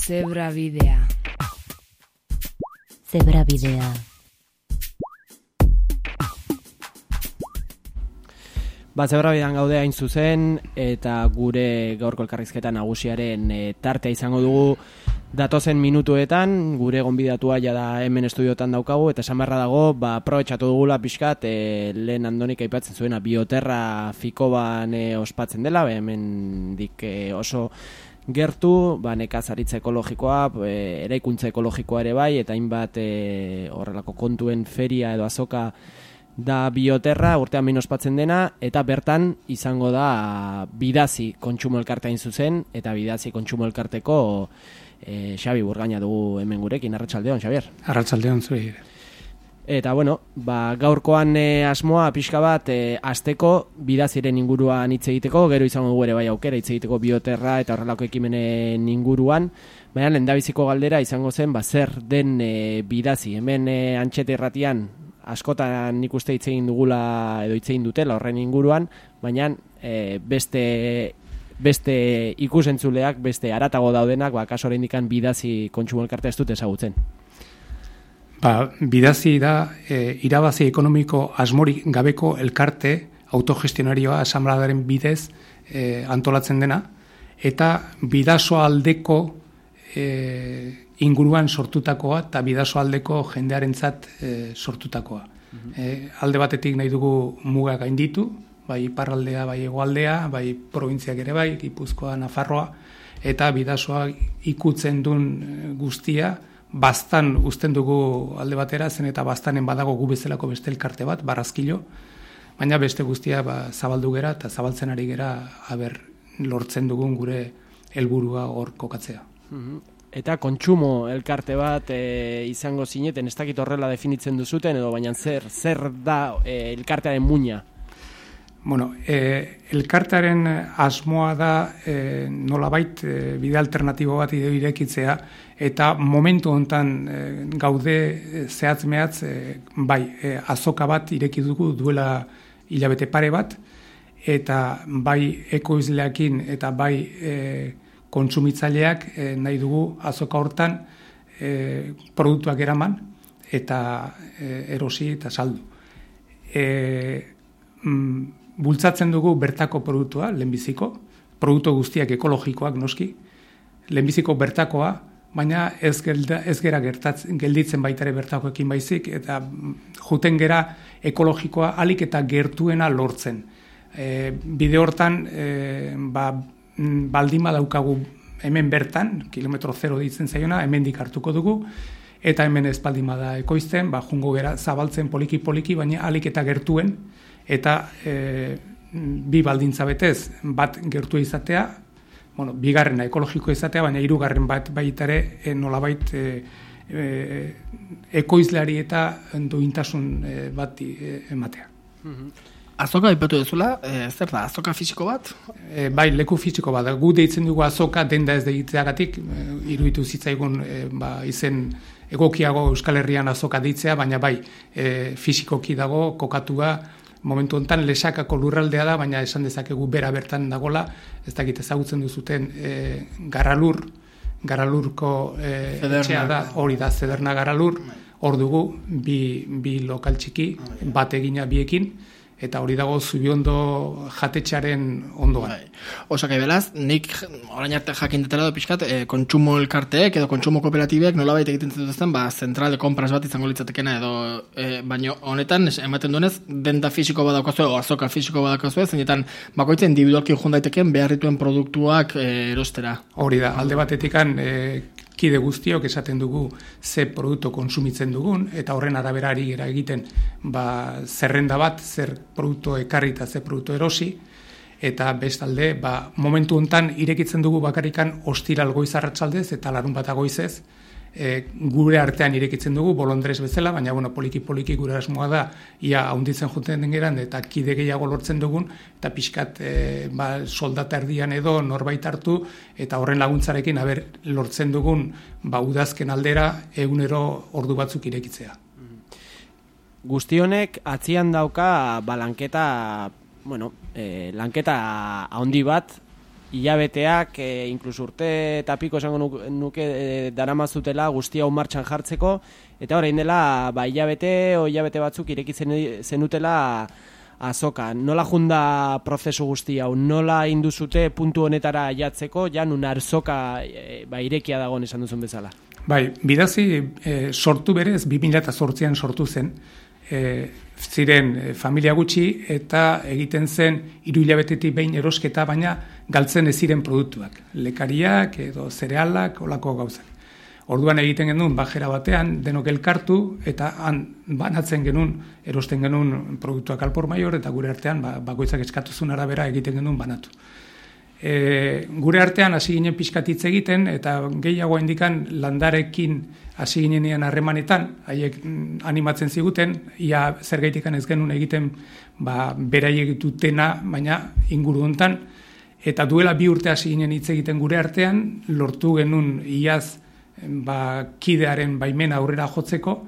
Zebrabidea. Zebrabidea. Zebrabidean gaude hain zuzen, eta gure gaurko elkarrizketa nagusiaren tartea izango dugu datozen minutuetan. Gure gonbidatua da hemen estudiotan daukagu, eta esan beharra dago, aprobetxatu dugula pixkat, lehen Andonik aipatzen zuena, bioterra fikoban ospatzen dela, hemen dik oso gertu, nekazaritza ekologikoa, eraikuntza ekologikoa ere bai, eta hainbat horrelako kontuen feria edo azoka da bioterra, urtean behin ospatzen dena, eta bertan izango da Bidazi Kontsumo Elkarteain zuzen, eta Bidazi Kontsumo Elkarteko Xabi Burgaina dugu hemen gurekin. Arratsaldeon, Xabier. Arratsaldeon zuri. Eta gaurkoan asmoa pixka bat asteko Bidaziren inguruan hitz egiteko, gero izango dugu ere bai aukera hitz egiteko bioterra eta horrelako ekimenen inguruan, baina lehendabiziko galdera izango zen zer den Bidazi. Hemen Antxete Irratian askotan nik uste hitz egin dugula edo hitz egin dutela horren inguruan, baina beste ikusentzuleak, beste haratago daudenak, kaso oraindikan Bidazi Kontsumo Elkartea ez dute ezagutzen. Bidazi da irabazi ekonomiko asmorik gabeko elkarte autogestionarioa asanbladaren bidez antolatzen dena, eta bidasoaldeko inguruan sortutakoa eta bidasoaldeko jendearentzat sortutakoa. Alde batetik nahi dugu mugak gainditu, bai iparraldea, bai hegoaldea, bai probintziak ere bai, Gipuzkoa, Nafarroa, eta bidasoa ikutzen duen guztia, bastan uzten dugu alde batera, zen eta bastanen badago gu bezalako beste elkarte bat, Barrazkilo, baina beste guztia zabaldu gera eta zabaltzen ari gera lortzen dugun gure helburua hor kokatzea. Eta kontsumo elkarte bat izango zineten, ez dakit horrela definitzen duzuten, edo baina zer da elkartearen muina? Elkartearen asmoa da nolabait bide alternatibo bat irekitzea, eta momentu hontan gaude zehatz-mehatz azoka bat ireki dugu duela hilabete pare bat, eta bai ekoizleekin eta bai kontsumitzaileak nahi dugu azoka hortan produktuak eraman eta erosi eta saldu. Bultzatzen dugu bertako produktua, lehenbiziko, produktu guztiak ekologikoak noski, lehenbiziko bertakoa, baina ez gera gelditzen baitare bertakoekin baizik, eta juten gera ekologikoa alik eta gertuena lortzen. Bide hortan, baldima daukagu hemen bertan, kilometro 0 ditzen zaiona, hemendik hartuko dugu, eta hemen ez baldima da ekoizten, jungo gera zabaltzen poliki-poliki, baina alik eta gertuen, eta bi baldintza betez, bat gertua izatea, bigarrena ekologiko izatea, baina hirugarren bat baitare nolabait ekoizleari eta duintasun bat ematea. Azoka aipatu duzula, zer da, azoka fisiko bat? Bai, leku fisiko bat. Gu deitzen dugu azoka denda ez deitzeagatik, iruditu zitzaigun izen egokiago Euskal Herrian azoka deitzea, baina bai, fisikoki dago, kokatua, momentu honetan Lesakako lurraldea da, baina esan dezakegu bera bertan dagola, ez dakit ezagutzen duzuten Garalurko etxea da, hori da, Zederna Garalur, hor dugu, bi lokal txiki, bat egina biekin, eta hori dago Zubiondo jatetxaren ondoan. Osak beraz, nik orain arte jakin dutela da pixkat, kontsumo elkarteek edo kontsumo kooperatibek nolabait egiten zituzten, zentral de compras bat izango litzatekena edo, baina honetan ematen duenez, denda fisiko badaukazue o azoka fisiko badaukazue, zeinetan bakoitzen individualki jun daiteken beharrituen produktuak erostera. Hori da, alde batetikan kide guztiok esaten dugu ze produktu kontsumitzen dugun, eta horren araberari era egiten zerrenda bat, zer produktu ekarri eta zer produktu erosi, eta bestalde, momentu hontan irekitzen dugu bakarrikan ostiral goiz arratsaldez eta larun bat goizez, gure artean irekitzen dugu, bolondrez bezala, baina poliki-poliki gure asmoa da, ia haunditzen juten den geran, eta kide gehiago lortzen dugun, eta pixkat soldata erdian edo norbait hartu, eta horren laguntzarekin lortzen dugun udazken aldera egunero ordu batzuk irekitzea. Guztionek atzian dauka lanketa handi bat hilabeteak, inkluso urte eta piko esango nuke daramazutela guztia hau martxan jartzeko, eta orain dela hilabete batzuk ireki zenutela azoka. Nola junda prozesu guzti hau, nola induzute puntu honetara jatzeko, ja nun arzoka irekia dagoen esan duzun bezala? Bai, bidazi sortu berez 2008an sortu zen, ziren familia gutxi eta egiten zen 3 hilabetetik behin erosketa, baina galtzen ez ziren produktuak, lekariak edo zerealak, olako gauzak. Orduan egiten genuen bajera batean, denok elkartu eta han banatzen genuen, erosten genuen produktuak alpor maior eta gure artean bakoitzak eskatuzun arabera egiten genuen banatu. Gure artean hasi ginen pixkatitz egiten eta gehiago indikan landarekin hasi ginenean harremanetan, haiek animatzen ziguten, ia zergaitikan ez genuen egiten beraiek dutena, baina inguru hontan, eta duela 2 urte hasi ginen hitz egiten gure artean, lortu genuen iaz kidearen baimena aurrera jotzeko,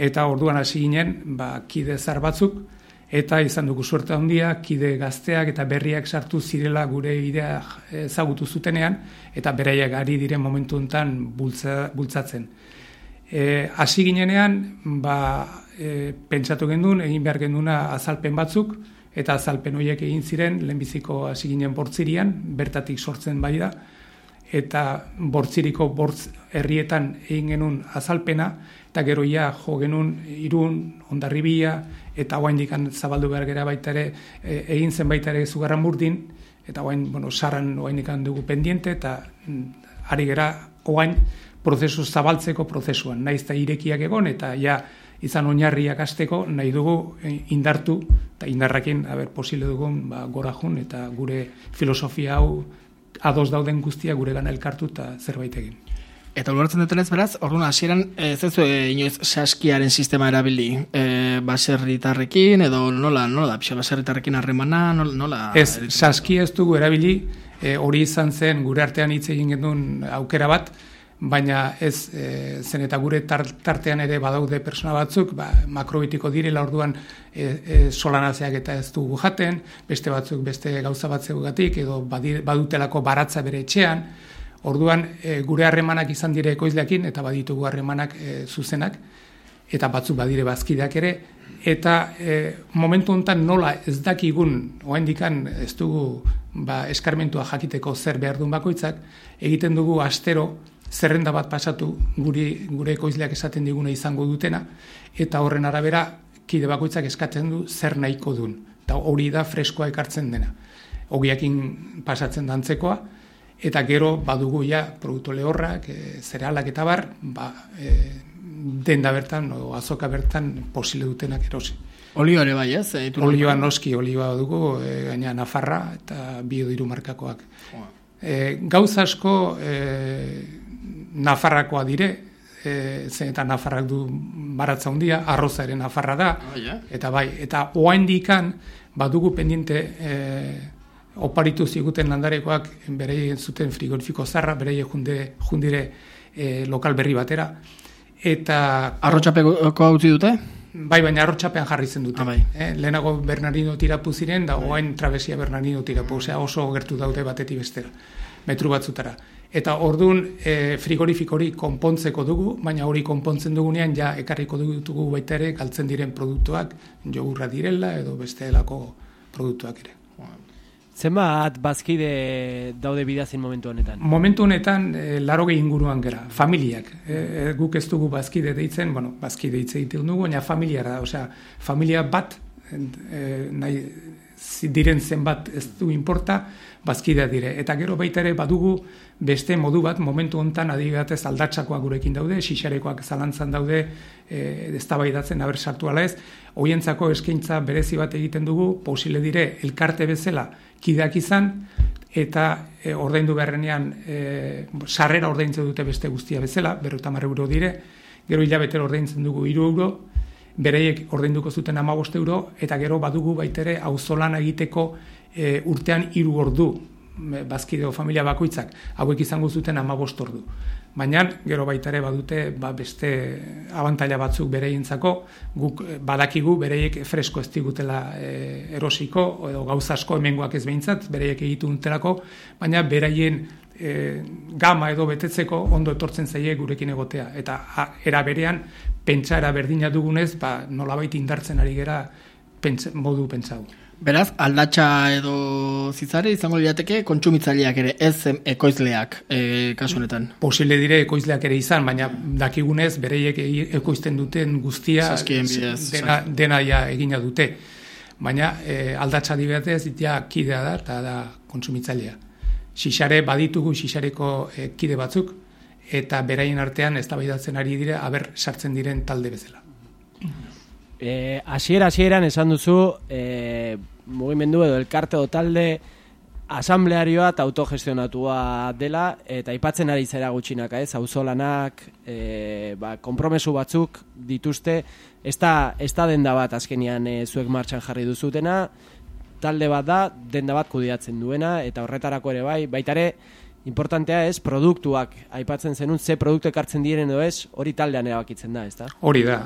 eta orduan hasi ginen kide zar batzuk, eta izan dugu suerte handia, kide gazteak eta berriak sartu zirela gure idea ezagutu zutenean, eta beraiek ari diren momentu honetan bultzatzen. Hasi ginenean, pentsatu gendun, egin behar genduna azalpen batzuk, eta azalpen horiek egin ziren, lehenbiziko hasi ginen Bortzirian, bertatik sortzen bai da, eta Bortziriko Bortz herrietan egin genuen azalpena, eta gero jo genuen Irun, Hondarribia, eta oraindik zabaldu behar gera baita ere, egin zen baita ere Zugarramurdin, eta Sarran oraindik dugu pendiente, eta ari gera orain prozesu zabaltzeko prozesuan, naiz eta irekiak egon, eta izan oinarriak hasteko nahi dugu indartu, eta indarrakin posible dugun gora jun, eta gure filosofia hau ados dauden guztia gure gana elkartu eta zerbait egin. Eta ulertzen dutenez beraz, orduan hasieran ez duzu inoiz saskiaren sistema erabili, baserritarrekin edo nola da, baserritarrekin harremana, nola? Ez, saskia ez dugu erabili, hori izan zen gure artean hitz egin genuen aukera bat, baina ez zen eta gure tartean ere badaude persona batzuk, makrobitiko direla orduan solanazeak eta ez dugu jaten, beste batzuk beste gauza batzugatik edo badutelako baratza bere etxean, orduan gure harremanak izan dire ekoizleekin eta baditugu harremanak zuzenak, eta batzuk badire bazkideak ere, eta momentu honetan nola ez dakigun, oraindikan ez dugu eskarmentua jakiteko zer behar duen bakoitzak, egiten dugu astero zerrenda bat pasatu gure ekoizleak esaten diguna izango dutena, eta horren arabera kide bakoitzak eskatzen du zer nahiko duen. Eta hori da freskoa ekartzen dena. Ogiakin pasatzen dantzekoa, eta gero badugu produktu lehorrak, zerealak eta bar, denda bertan, azoka bertan posible dutenak erosi. Olioa ere bai, ez? Olioa noski, olioa dugu, gaina Nafarra eta Biodiru markakoak. Gauza asko Nafarrakoa dire, zen eta Nafarrak du baratza handia, arroza ere Nafarra da, eta oraindikan badugu pendiente oparitu ziguten landarekoak bereien zuten frigorifiko zarra, bereien jundire lokal berri batera, eta... Arrotxapeko hau dute? Bai, baina arrotxapean jarri zen dute. Lehenago Bernardino tirapu ziren, da orain trabesia Bernardino tirapu, oso gertu daude batetik bestera, metru batzutara. Eta orduan frigorifiko hori konpontzeko dugu, baina hori konpontzen dugunean ekarriko dugu baita ere galtzen diren produktuak, jogurra direla edo bestelako produktuak ere. Zenbat bazkide daude bidazin momentu honetan? Momentu honetan 80 inguruan gera, familiak. Guk ez dugu bazkide deitzen, bazkide hitz egiten dugu, baina familiara, familia bat, nahi diren zenbat ez du inporta, bazkidea dire. Eta gero baita ere badugu beste modu bat, momentu honetan adigatez aldatsakoak gurekin daude, xixarekoak zalantzan daude, eztabaidatzen aber sartu ala ez, hoientzako eskaintza berezi bat egiten dugu, posible dire elkarte bezala kideak izan, eta ordaindu beharrenean sarrera ordaintzen dute beste guztia bezala, 50 euro dire, gero hilabetero ordaintzen dugu 3 euro, bereiek ordainduko zuten 15 euro, eta gero badugu baitere auzolana egiteko urtean 3 ordu bazkideo familia bakoitzak hauek izango zuten 15 ordu. Baina gero baita ere badute beste abantaila batzuk bereientzako, guk badakigu bereiek fresko ez digutela erosiko edo gauza asko hemengoak ez behintzat, bereiek egitu dutelako, baina beraien gama edo betetzeko ondo etortzen zaie gurekin egotea. Eta era berean pentsara berdina dugunez, nolabait indartzen ari gera modu pentsau. Beraz, aldatxa edo zitzare izango lirateke kontsumitzaileak ere, ez ekoizleak kasu honetan. Posible dire ekoizleak ere izan, baina dakigunez bereiek ekoizten duten guztia dena ja egina dute. Baina aldatxa dibetez ja kidea da eta da kontsumitzailea. Xixare baditugu xixareko kide batzuk eta beraien artean eztabaidatzen ari dire aber sartzen diren talde bezala. Hasieran esan duzu mugimendu edo elkarte o talde asamblearioa eta autogestionatua dela, eta aipatzen ari zera gutxinaka, auzolanak, konpromesu batzuk dituzte, ez da denda bat azkenian zuek martxan jarri duzutena, talde bat da, denda bat kudeatzen duena, eta horretarako ere baita ere, importantea ez, produktuak, aipatzen zenun, ze produktu ekartzen diren edo ez, hori taldean erabakitzen da, ez da? Hori da,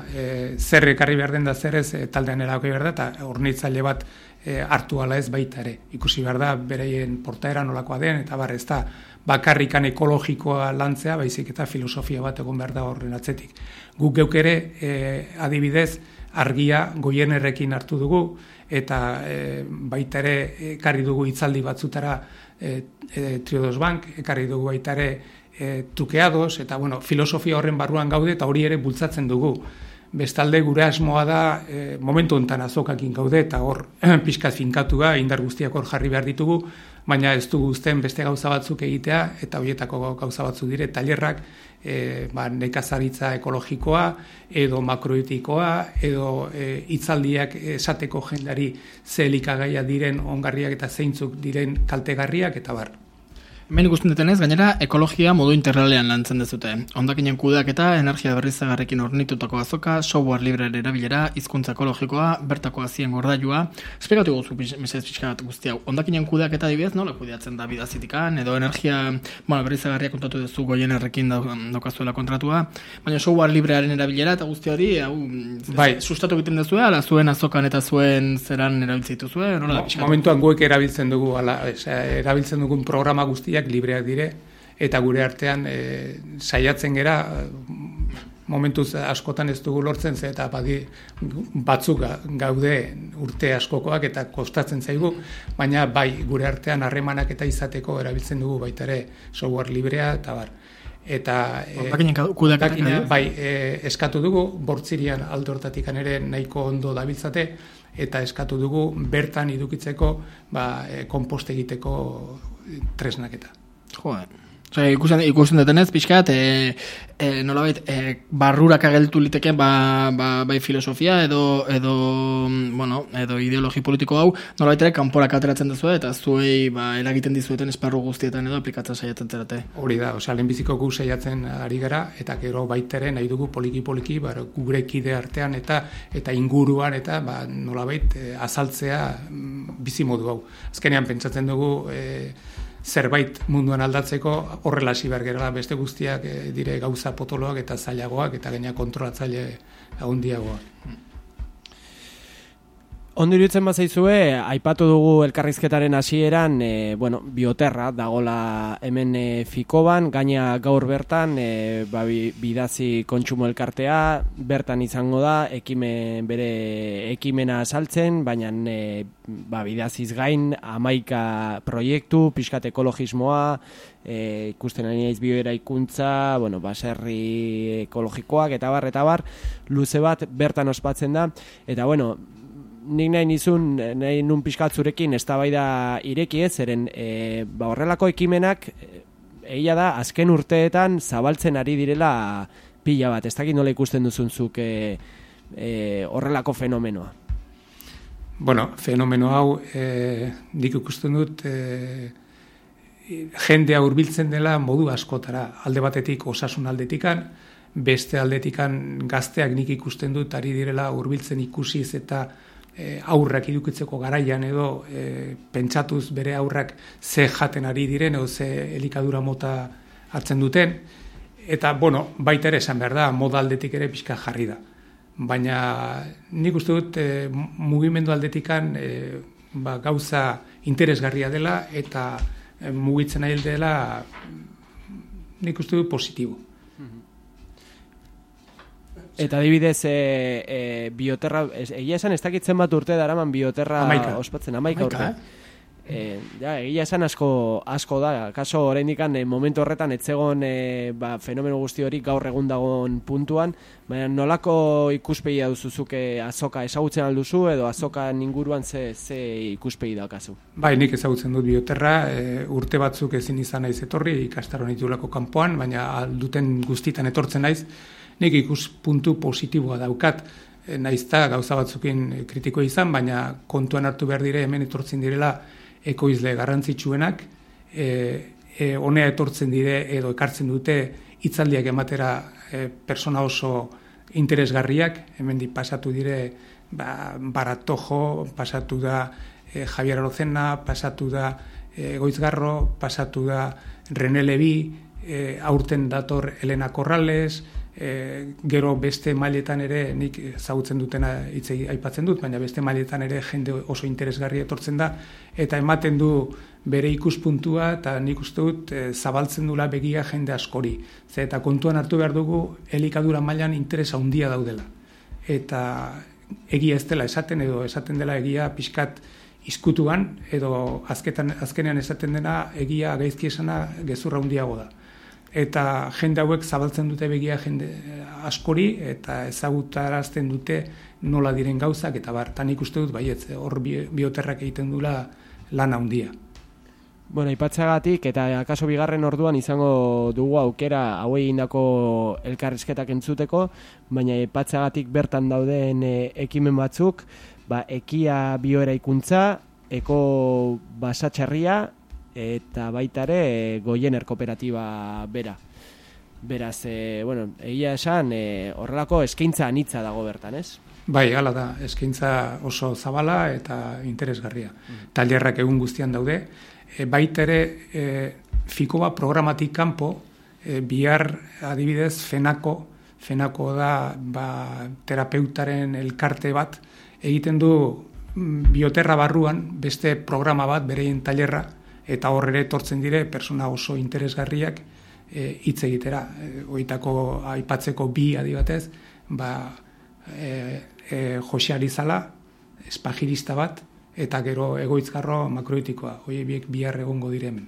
zer ekarri behar den da zer ez taldean erabaki behar da, eta hornitzaile bat hartu ala ez baita ere. Ikusi behar da, bereien portaera nolakoa den, eta ez da bakarrikan ekologikoa lantzea, baizik eta filosofia bat egon behar da horren atzetik. Guk geuk ere, adibidez, argia Goienerrekin hartu dugu, eta baita ere ekarri dugu hitzaldi batzutara Triodos Bank, ekarri dugu baita ere trukeados, eta filosofia horren barruan gaude, eta hori ere bultzatzen dugu. Bestalde gure asmoa da momentu honetan azokakin gaude, eta hor pixkat finkatua, indar guztiak hor jarri behar ditugu, baina ez dugu uzten beste gauza batzuk egitea, eta horietako gauza batzuk dire, tailerrak, nekazaritza ekologikoa, edo makroetikoa, edo hitzaldiak esateko jendari ze elikagaia diren ongarriak eta zeintzuk diren kaltegarriak, eta bar. Hemen ikusten dutenez, gainera, ekologia modu integralean lantzen dezute. Hondakinen kudeak eta energia berriztagarriekin hornitutako azoka, software librearen erabilera, hizkuntza ekologikoa, bertako hazien gordailua. Esplikatu guzu mesez pixka bat guzti hau. Hondakinen kudeak eta adibidez, nola kudeatzen da bidazitikan, edo energia berriztagarria kontatu duzu Goienerrekin daukazuela kontratua, baina software librearen erabilera eta guzti hori, sustatu egiten duzu, ala zuen azokan eta zuen zeran erabiltzen dituzue, nola da pixka? Momentuan guek erabiltzen dugu, erabiltzen dugun programa guzti libreak dire, eta gure artean saiatzen gera momentuz askotan ez dugu lortzen ze, eta batzuk gaude urte askokoak eta kostatzen zaigu, baina gure artean harremanak eta izateko erabiltzen dugu baita ere software librea eta bar. Eta eskatu dugu, bortzirian alde hortatikan ere nahiko ondo dabiltzate, eta eskatu dugu bertan edukitzeko konpost egiteko tresnaketa. Ikusten detenez, pixkat, nolabait, barrurak ageltu liteke bai filosofia edo ideologi politiko hau, nolabait ere kanporak ateratzen duzu eta zuei eragiten dizueten esparru guztietan edo aplikatzen saiatzen zerate. Hori da, lehenbiziko gu saiatzen ari gara, eta gero baitere nahi dugu poliki-poliki gure kide artean eta inguruan eta nolabait azaltzea bizimodu hau. Azkenean pentsatzen dugu zerbait munduan aldatzeko horrela hasi behar gerala, beste guztiak dire gauza potoloak eta zailagoak eta gaina kontrolatzaile handiagoak. Ondo iruditzen bazaizue, aipatu dugu elkarrizketaren hasieran, bioterra dagola hemen Fikoban, gaina gaur bertan, bidazi kontsumo elkartea, bertan izango da, bere ekimena saltzen, baina bidaziz gain 11 proiektu, pixkat ekologismoa, ikusten ari naiz bioeraikuntza, baserri ekologikoak, eta bar, luze bat bertan ospatzen da, eta nik nahi nun pixkat zurekin eztabaida ireki ez, zeren horrelako ekimenak egia da azken urteetan zabaltzen ari direla pila bat, ez dakit nola ikusten duzunzuk horrelako fenomenoa. Fenomeno hau nik ikusten dut jendea hurbiltzen dela modu askotara, alde batetik osasun aldetikan, beste aldetikan gazteak nik ikusten dut ari direla hurbiltzen ikusiz eta aurrak idukitzeko garaian edo pentsatuz bere aurrak ze jaten ari diren edo ze elikadura mota hartzen duten, eta baita ere esan behar da, moda aldetik ere pixka jarri da. Baina nik uste dut mugimendu aldetikan gauza interesgarria dela eta mugitzen nahi dela nik uste dut positibo. Eta adibidez, bioterra, egia esan ez dakitzen bat urte daraman bioterra ospatzen, 11 urte. Egia esan asko da, kaso oraindikan momentu horretan etzegon fenomeno guzti hori gaur egun dagoen puntuan, baina nolako ikuspegia duzuzuke azoka ezagutzen alduzu edo azokan inguruan ze ikuspegi daukazu? Bai, nik ezagutzen dut bioterra, urte batzuk ezin izan naiz etorri, ikastaroan ditulako kanpoan, baina alduten guztitan etortzen naiz, nik ikuspuntu positiboa daukat, naizta gauza batzukin kritiko izan, baina kontuan hartu behar dire hemen etortzen direla ekoizle garrantzitsuenak, honea etortzen dire edo ekartzen dute hitzaldiak ematera persona oso interesgarriak, hemendik pasatu dire Baratojo, pasatu da Javier Arozena, pasatu da Goizgarro, pasatu da René Levi, aurten dator Elena Corrales, gero beste mailetan ere nik ezagutzen dutena aipatzen dut, baina beste mailetan ere jende oso interesgarria etortzen da eta ematen du bere ikuspuntua eta nik uste dut zabaltzen dula begia jende askori. Eta kontuan hartu behar dugu elikadura mailan interesa handia daudela. Eta egia ez dela esaten edo esaten dela egia pixkat izkutuan edo azkenean esaten dena egia gaizki esana gezurra handiago da. Eta jende hauek zabaltzen dute begia jende askori eta ezagutarazten dute nola diren gauzak eta nik uste dut baietz, hor bioterrak egiten dula lan handia. Aipatzagatik eta akaso bigarren orduan izango dugu aukera hauei egindako elkarrizketak entzuteko, baina aipatzagatik bertan dauden ekimen batzuk, ekia bioeraikuntza, eko basatxarria, eta baita ere Goiener kooperatiba bera. Beraz, egia esan, horrelako eskaintza anitza dago bertan, ez? Bai, hala da, eskaintza oso zabala eta interesgarria. Tailerrak egun guztian daude. Baita ere, Fikoba programatik kanpo, bihar adibidez Fenako da terapeutaren elkarte bat, egiten du bioterra barruan beste programa bat, bereien tailerra, eta horre etortzen dire persona oso interesgarriak hitz egitera. Oitako aipatzeko bi adibatez, Jose Arizala, espagirista bat, eta gero Egoizgarro makroitikoa. Hoi biek bihar egongo diremen.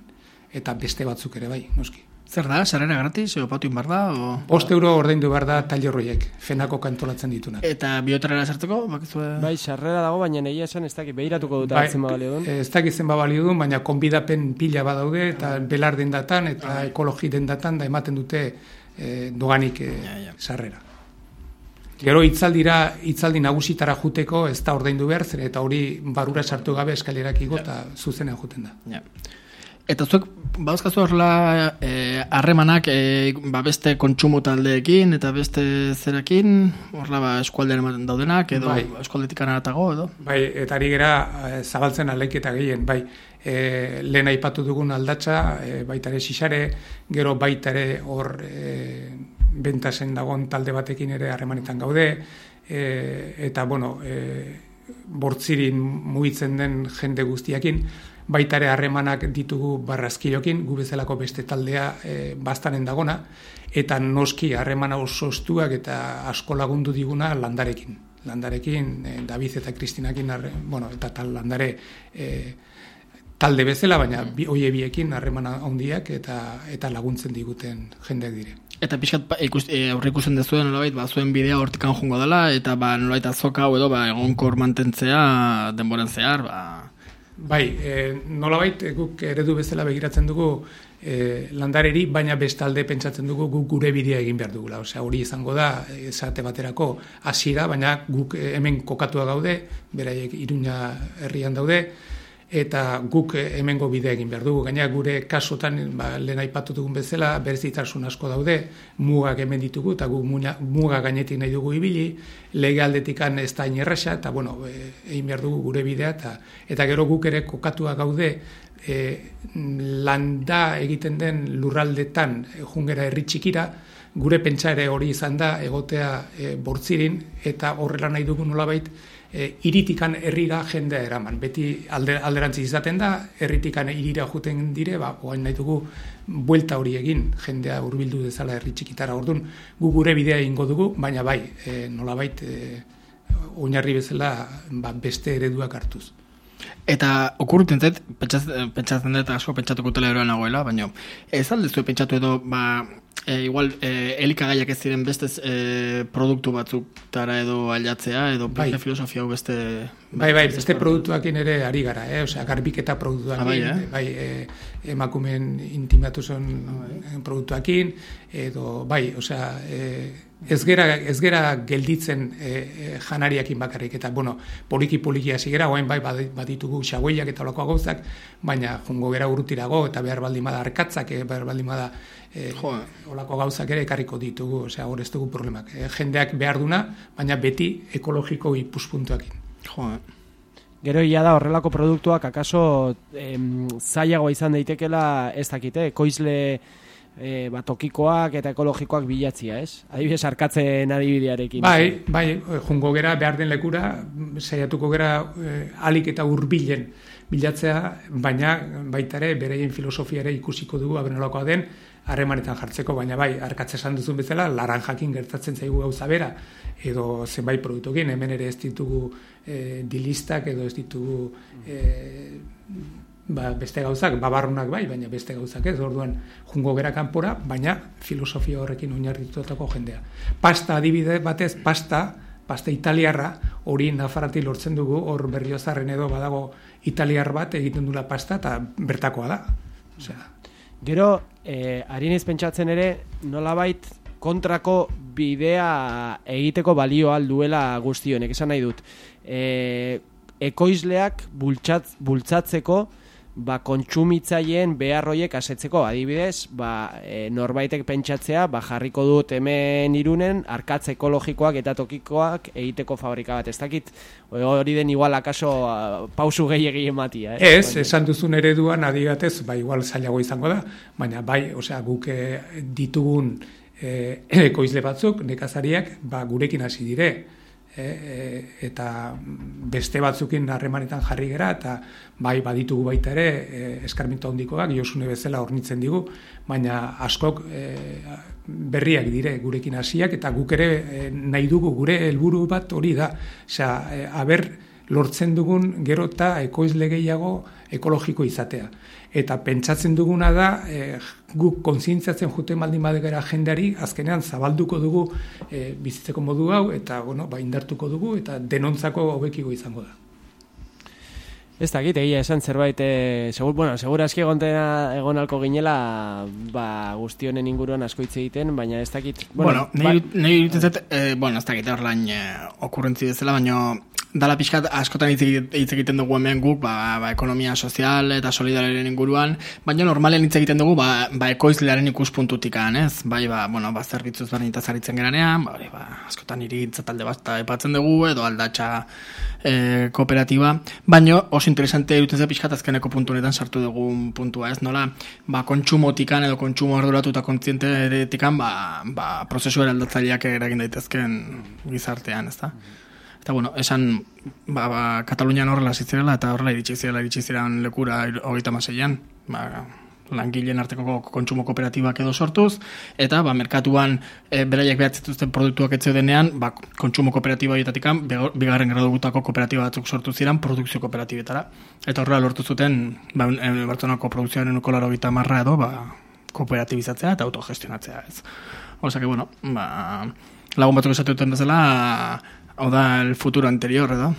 Eta beste batzuk ere bai, noski. Zer da, sarrera gratis, patu inbar da? 5 euro ordaindu behar da tailerroiek, Fenako kantolatzen ditunak. Eta bioterrera sartzeko? Bai, sarrera dago, baina egia esan ez dakit, behiratuko dut hartzen balio duen. Ez dakit zen balio duen, baina konbidapen pila badaude, eta belar dendatan, eta ekologi dendatan, da ematen dute doganik sarrera. Gero hitzaldi nagusitara juteko ez da ordaindu behar, zer eta hori barura sartu gabe eskalerak igo eta zuzenean juten da. Eta zuek, bauzkazu horrela harremanak beste kontsumo taldeekin eta beste zerakin, horrela eskualdean daudenak, edo eskualdetik anaratago, edo? Bai, eta ari gera zabaltzen alaiketa gehien, bai. Lehen aipatu dugun aldatxa, baita ere Xixare, gero baita ere hor bentasen dagoen talde batekin ere harremanetan gaude, eta bortzirin mugitzen den jende guztiakin, baita ere harremanak ditugu Barraskilokin, gu bezalako beste taldea bastanen dagona, eta noski harremana oso estuak eta asko lagundu diguna Landarekin. David eta Kristinakin, eta tal Landare talde bezala, baina hoie biekin harremana handiak eta laguntzen diguten jendeak dire. Eta pixkat aurre ikusten dezuen nolabait, zuen bidea hortikan jungo dela, eta nolabait azoka hau edo egonkor mantentzea denboran zehar, Bai, nolabait guk eredu bezala begiratzen dugu Landareri, baina bestalde pentsatzen dugu guk gure bidea egin behar dugula. Osea, hori izango da, esate baterako hasiera, baina guk hemen kokatua gaude, beraiek Iruña herrian daude, eta guk hemengo bidea egin behar dugu. Gaina gure kasotan, lehen aipatu dugun bezala, berezitasun asko daude, mugak hemen ditugu, eta guk muga gainetik nahi dugu ibili, lege aldetikan ez da inerresa, eta egin behar dugu gure bidea, eta gero guk ere kokatua gaude, landa egiten den lurraldetan jungera herri txikira, gure pentsa ere hori izan da, egotea bortzirin, eta horrela nahi dugu nolabait, iritikan herrira jendea eraman. Beti alderantziz izaten da, herritikan hirira juten dire, oain nahi dugu buelta hori egin, jendea hurbildu dezala herri txikitara. Orduan, gu gure bidea ingo dugu, baina bai, nolabait, oinarri bezala beste ereduak hartuz. Eta okurruten zait, pentsatzen dut asko pentsatuko teleroan nagoela, baina ez aldezu pentsatu edo, igual elikagaiak ez ziren beste produktu batzutara edo aldatzea, edo filosofia hau beste... beste produktuakin ere ari gara, osea, garbiketa produktuakin, emakumeen intimatuzen produktuakin, edo, osea, ez gera gelditzen janariakin bakarrik, eta, poliki hasi gera, oain baditugu xagoiak eta olakoa gauzak, baina jungo gera urrutirago, eta behar baldin bada arkatzak, behar baldin bada olako gauzak ere ekarriko ditugu, osea, hor ez dugu problemak. Jendeak behar duna, baina beti ekologiko ikuspuntuakin. Gero ia da horrelako produktuak akaso zailagoa izan daitekela ez dakite, ekoizle tokikoak eta ekologikoak bilatzia, ez? Adibidez, arkatzen adibidearekin. Bai, jungo gera behar den lekura, saiatuko gera alik eta hurbilen bilatzea, baina baita ere bereien filosofia ere ikusiko dugu abenolakoa den harremanetan jartzeko, baina bai, arkatze esan duzun bezala, laranjakin gertatzen zaigu gauza bera, edo zenbait produktukin, hemen ere ez ditugu dilistak, edo ez ditugu beste gauzak, babarrunak bai, baina beste gauzak ez, orduan jungo gera kanpora, baina filosofia horrekin oinarritutako jendea. Pasta adibide batez, pasta italiarra, hori Nafarrati lortzen dugu, hor Berriozarren edo badago italiar bat egiten dula pasta, eta bertakoa da. Osea, gero, ari naiz pentsatzen ere, nolabait kontrako bidea egiteko balio alduela guzti honek, esan nahi dut. Ekoizleak bultzatzeko kontsumitzaileen beharroiek asetzeko, adibidez, norbaitek pentsatzea, jarriko dut hemen Irunen arkatze ekologikoak eta tokikoak egiteko fabrika bat. Ez dakit, hori den igual akaso pausu gehiegi ematia. Ez, esan duzun ereduan adigatez, igual zailago izango da, baina osea, guk ditugun ekoizle batzuk, nekazariak, gurekin hasi dire, eta beste batzukin harremanetan jarri gera, eta baditugu baita ere eskarmentu handikoak, Josune bezala hornitzen digu, baina askok berriak dire gurekin hasiak, eta guk ere nahi dugu gure helburu bat hori da, osea, aber lortzen dugun gero eta ekoizle gehiago ekologiko izatea. Eta pentsatzen duguna da, guk kontzientziatzen juten baldin badegera jendeari, azkenean zabalduko dugu bizitzeko modu hau, eta indartuko dugu, eta denontzako hobekiko izango da. Ez dakit, egia esan zerbait, segur aski egon alko ginela, guzti honen inguruan asko hitz egiten, baina ez dakit... Nahi dut, ez dakit horrein okurrentzi bezala, baina dala pixkat askotan hitz egiten dugu hemen guk, ekonomia sozial eta solidariaren inguruan, baina normalen hitz egiten dugu, ekoizlearen ikuspuntutikan, ez? Zerbitzuz berdinetaz aritzen geranean, askotan hirigintza talde bat epatzen dugu, edo aldatxa kooperatiba, baina oso interesante iruditzen zait pixkat azkeneko puntu honetan sartu dugun puntua, ez? Nola, kontsumotikan edo kontsumo arduratu eta kontzientetikan, prozesu eraldatzaileak eragin daitezken gizartean, ez da? Eta, esan, Katalunian horrela zitzirela, eta horrela iritsi ziren lekura 36an, langileen arteko kontsumo kooperatibak edo sortuz, eta merkatuan beraiek behatzituzten produktuak etze denean, kontsumo kooperatiba horietatik bigarren gradutako kooperatiba batzuk sortu ziren produkzio kooperatibetara. Eta horrela lortu zuten, Bartzelonako produkzioaren 80% edo, kooperatibizatzea eta autogestionatzea, ez. Osa que, lagun batzuk esatu duten bezala, hau da el futuro anterior, edo.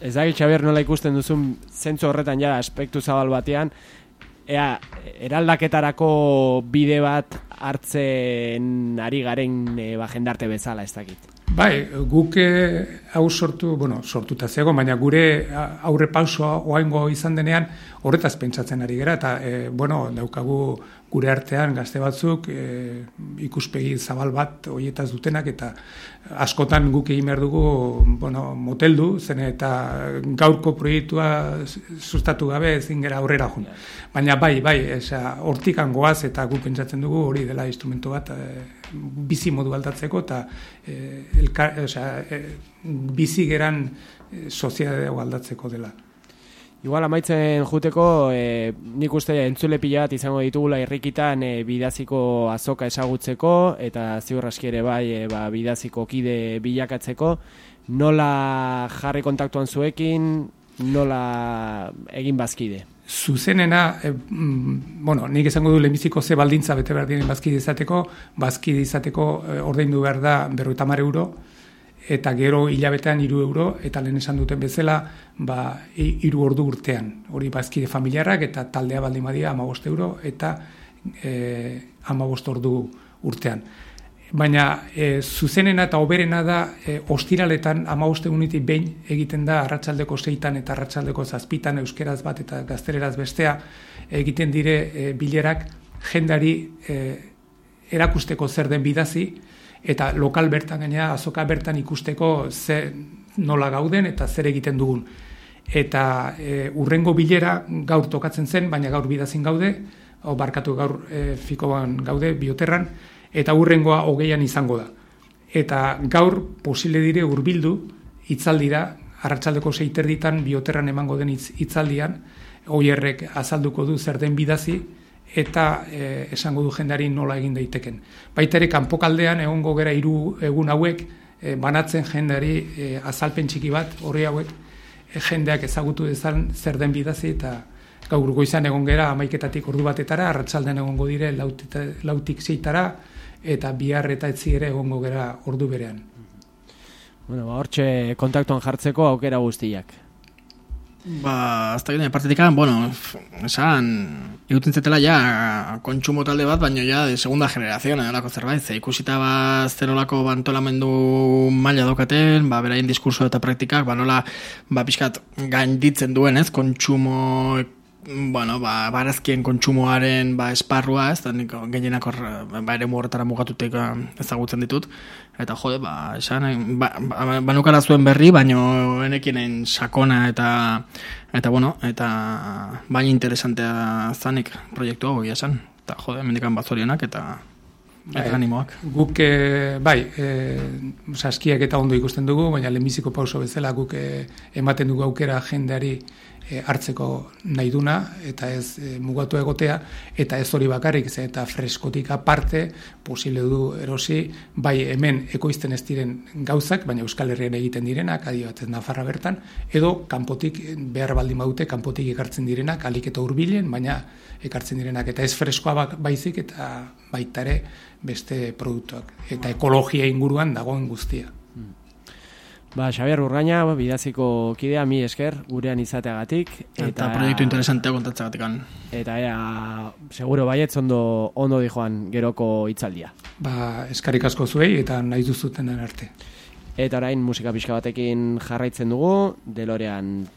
Ez da, Xabier, nola ikusten duzun zentzu horretan ja aspektu zabal batean, eraldaketarako bide bat hartzen ari garen jendarte bezala, ez dakit. Guk hau sortuta zegoen, baina gure aurre pausoa oaingo izan denean horretaz pentsatzen ari gera, eta daukagu gure artean gazte batzuk ikuspegi zabal bat horietaz dutenak, eta askotan guk egin behar dugu moteldu, zen eta gaurko proiektua sustatu gabe ezin gera aurrera joan. Baina bai, hortikan goaz, eta guk pentsatzen dugu hori dela instrumento bat bizi modu aldatzeko, eta bizi geran soziedadea aldatzeko dela. Igual amaitzen juteko, nik uste entzule pila bat izango ditugula irrikitan bidaziko azoka ezagutzeko, eta ziur aski ere bai bidaziko kide bilakatzeko. Nola jarri kontaktuan zuekin, nola egin bazkide? Zuzenena, nik esango du lehenbiziko ze baldintza bete behar diren bazkide izateko ordaindu behar da 50 euro, eta gero hilabetean 3 euro, eta lehen esan duten bezala, 3 ordu urtean. Hori bazkide familiarrak, eta taldea baldin badia 15 euro, eta 15 ordu urtean. Baina zuzenena eta oberena da ostiraletan 15 egunetik behin egiten da arratsaldeko 6 eta arratsaldeko 7 euskeraz bat eta gazteleraz bestea egiten dire bilerak jendari erakusteko zer den bidazi, eta lokal bertan gainera azoka bertan ikusteko nola gauden eta zer egiten dugun. Eta urrengo bilera gaur tokatzen zen, baina gaur bidazin gaude, gaur fikoan gaude, Bioterran, eta urrengoa 20an izango da. Eta gaur posible dire hurbildu hitzaldira, arratsaldeko 6:30 Bioterran emango den hitzaldian, Oierrek azalduko du zer den bidazi, eta esango du jendari nola egin daiteken. Baita ere kanpokaldean egongo gera 3 egun hauek banatzen jendari azalpen txiki bat, horri hauek jendeak ezagutu dezan zer den bidazi, eta gaur goizan egon gera 11 ordu batetara, arratsaldean egongo dire 4tik 6tara, eta bihar eta etzi ere egongo gera ordu berean. Hortxe kontaktuan jartzeko aukera guztiak. Hasta gine partetikan, esan, iguten zetela ja kontsumo talde bat, baina ja de segunda generación, edolako zerbait, ikusita zerolako antolamendu maila daukaten, beraien diskurso eta praktikak, nola, pixkat gainditzen duen, kontsumo, barazkien kontsumoaren esparrua, ez da nik gehienak ere horretara mugatutek ezagutzen ditut, eta esan, banukara zuen berri, baino enekinen sakona eta baina interesantea zanik proiektu hau egia esan, eta mendikan bazorionak eta animoak. Guk, saskiak eta ondo ikusten dugu, baina lehenbiziko pauso bezala guk ematen dugu aukera jendeari hartzeko nahi duna, eta ez mugatu egotea, eta ez hori bakarrik, eta freskotik aparte, posible du erosi, bai hemen ekoizten ez diren gauzak, baina Euskal Herrian egiten direnak, adibidez Nafarra bertan, edo kanpotik behar baldin badute, kanpotik ekartzen direnak, alik eta hurbilen, baina ekartzen direnak, eta ez freskoa baizik, eta baita ere beste produktuak, eta ekologia inguruan dagoen guztia. Xabier Urgaina, bidaziko kidea, mi esker, gurean izateagatik. Eta proiektu interesantea kontatzagatik. Eta seguro baietz ondo dijoan geroko hitzaldia. Eskarik asko zuei eta nahi duzutenen arte. Eta orain musika pixka batekin jarraitzen dugu, DeLorean